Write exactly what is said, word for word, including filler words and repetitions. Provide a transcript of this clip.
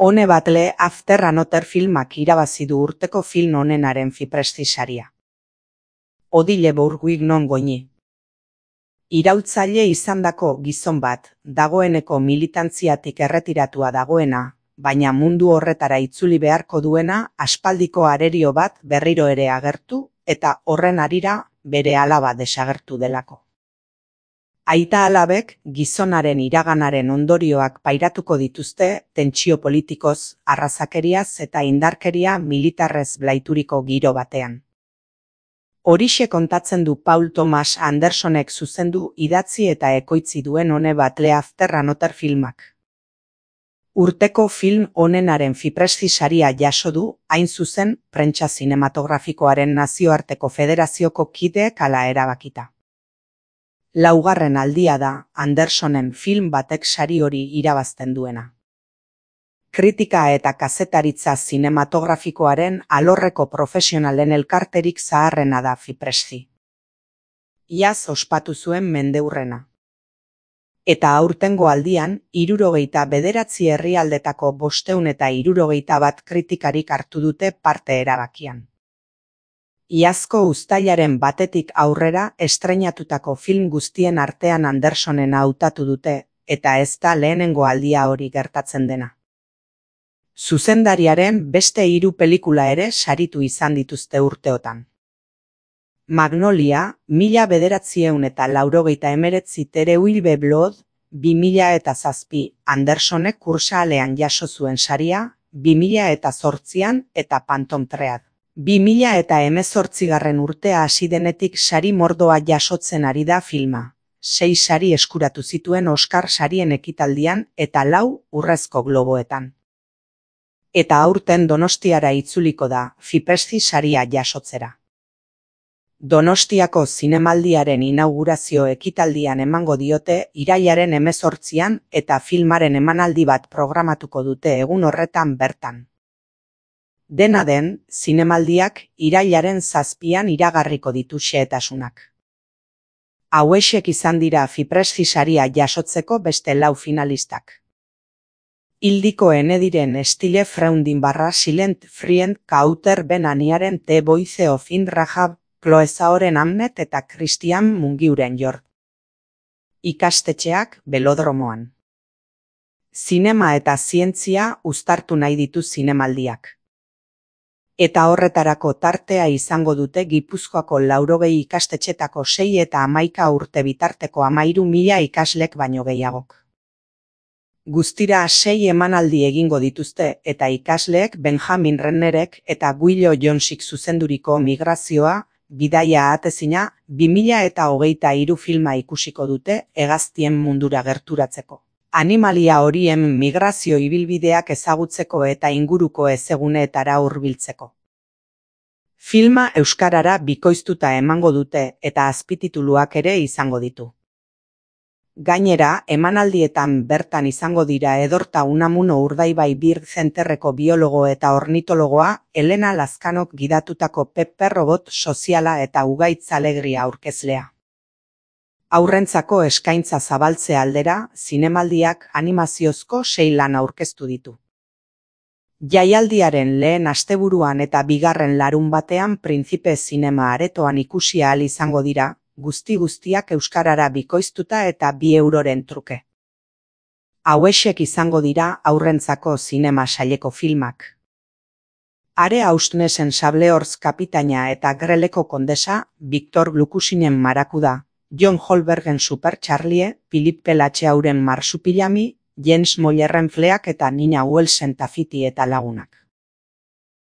One Battle After Another filmak irabazi du urteko film onenaren Fipresci saria. Odile Bourguignon goini. Iraultzaile izandako gizon bat, dagoeneko militantziatik erretiratua dagoena, baina mundu horretara itzuli beharko duena aspaldiko arerio bat berriro ere agertu eta horren harira bere alaba desagertu delako. Aita alabek gizonaren iraganaren ondorioak pairatuko dituzte tentsio politikoz, arrazakeriaz eta indarkeria militarrez blaituriko giro batean. Horixe kontatzen du Paul Thomas Andersonek zuzendu idatzi eta ekoitzi duen One Battle After Another filmak. Urteko film onenaren Fipresci saria jaso du, hain zuzen, prentsa zinematografikoaren nazioarteko federazioko kideek hala erabakita. Laugarren aldia da Andersonen film batek sari hori irabazten duena. Kritika eta kazetaritza zinematografikoaren alorreko profesionalen elkarterik zaharrena da Fipresci. Iaz ospatu zuen mendeurrena. Eta aurtengo aldian, hirurogeita bederatzi herrialdetako bostehun eta hirurogeita bat kritikarik hartu dute parte erabakian. Iazko uztailaren batetik aurrera estreinatutako film guztien artean Andersonen hautatu dute, eta ez da lehenengo aldia hori gertatzen dena. Zuzendariaren beste hiru pelikula ere saritu izan dituzte urteotan. Magnolia, mila bederatziehun eta laurogeita hemeretzi Tereuille Blood, bi mila eta zazpi, Andersonek Kursaalean jaso zuen saria, bi mila eta zortzian eta Phantom Thread. bi mila eta hemezortzigarren urtea hasi denetik sari mordoa jasotzen ari da filma. Sei sari eskuratu zituen Oscar sarien ekitaldian eta lau Urrezko Globoetan. Eta aurten Donostiara itzuliko da, Fipresci saria jasotzera. Donostiako zinemaldiaren inaugurazio ekitaldian emango diote irailaren hemezortzian eta filmaren emanaldi bat programatuko dute egun horretan bertan. Dena den, zinemaldiak irailaren zazpian iragarriko ditu xehetasunak. Hauexek izan dira Fipresci saria jasotzeko beste lau finalistak. Ildiko enediren Stille Freundin barra Silent Friend Kauter Ben Aniaren The Voice of In Rahab, Chloe Zaoren Amnet eta Christian Mungiuren Jord. Ikastetxeak Belodromoan. Zinema eta zientzia uztartu nahi ditu zinemaldiak. Eta horretarako tartea izango dute Gipuzkoako laurogei ikastetxetako sei eta hamaika urte bitarteko hamahiru mila ikaslek baino gehiagok. Guztira sei emanaldi egingo dituzte eta ikasleek Benjamin Rennerek eta Guillo Jonsik zuzenduriko Migrazioa, bidaia atezina, bi mila eta hogeita hiru filma ikusiko dute hegaztien mundura gerturatzeko. Animalia horien migrazio ibilbideak ezagutzeko eta inguruko ezeguneetara hurbiltzeko. Filma euskarara bikoiztuta emango dute eta azpitituluak ere izango ditu. Gainera, emanaldietan bertan izango dira Edorta Unamuno Urdaibai Bird Centerreko biologo eta ornitologoa, Elena Lazkanok gidatutako Pepper Robot soziala eta Ugaitz Alegria aurkezlea. Aurrentzako eskaintza zabaltze aldera, zinemaldiak animaziozko sei lan aurkeztu ditu. Jaialdiaren lehen asteburuan eta bigarren larun batean Prinzipe Zinema aretoan ikusi ahal izango dira, guzti guztiak euskarara bikoiztuta eta bi euroren truke. Hauexek izango dira aurrentzako zinema saileko filmak. Are Austnesen Sableorz kapitaina eta Greleko kondesa, Victor Glukusinen Marakuda, John Holbergen Super Charlie, Philippe Latxeauren Marsupilami, Jens Mollerren Fleak eta Nina Welsen Tafiti eta lagunak.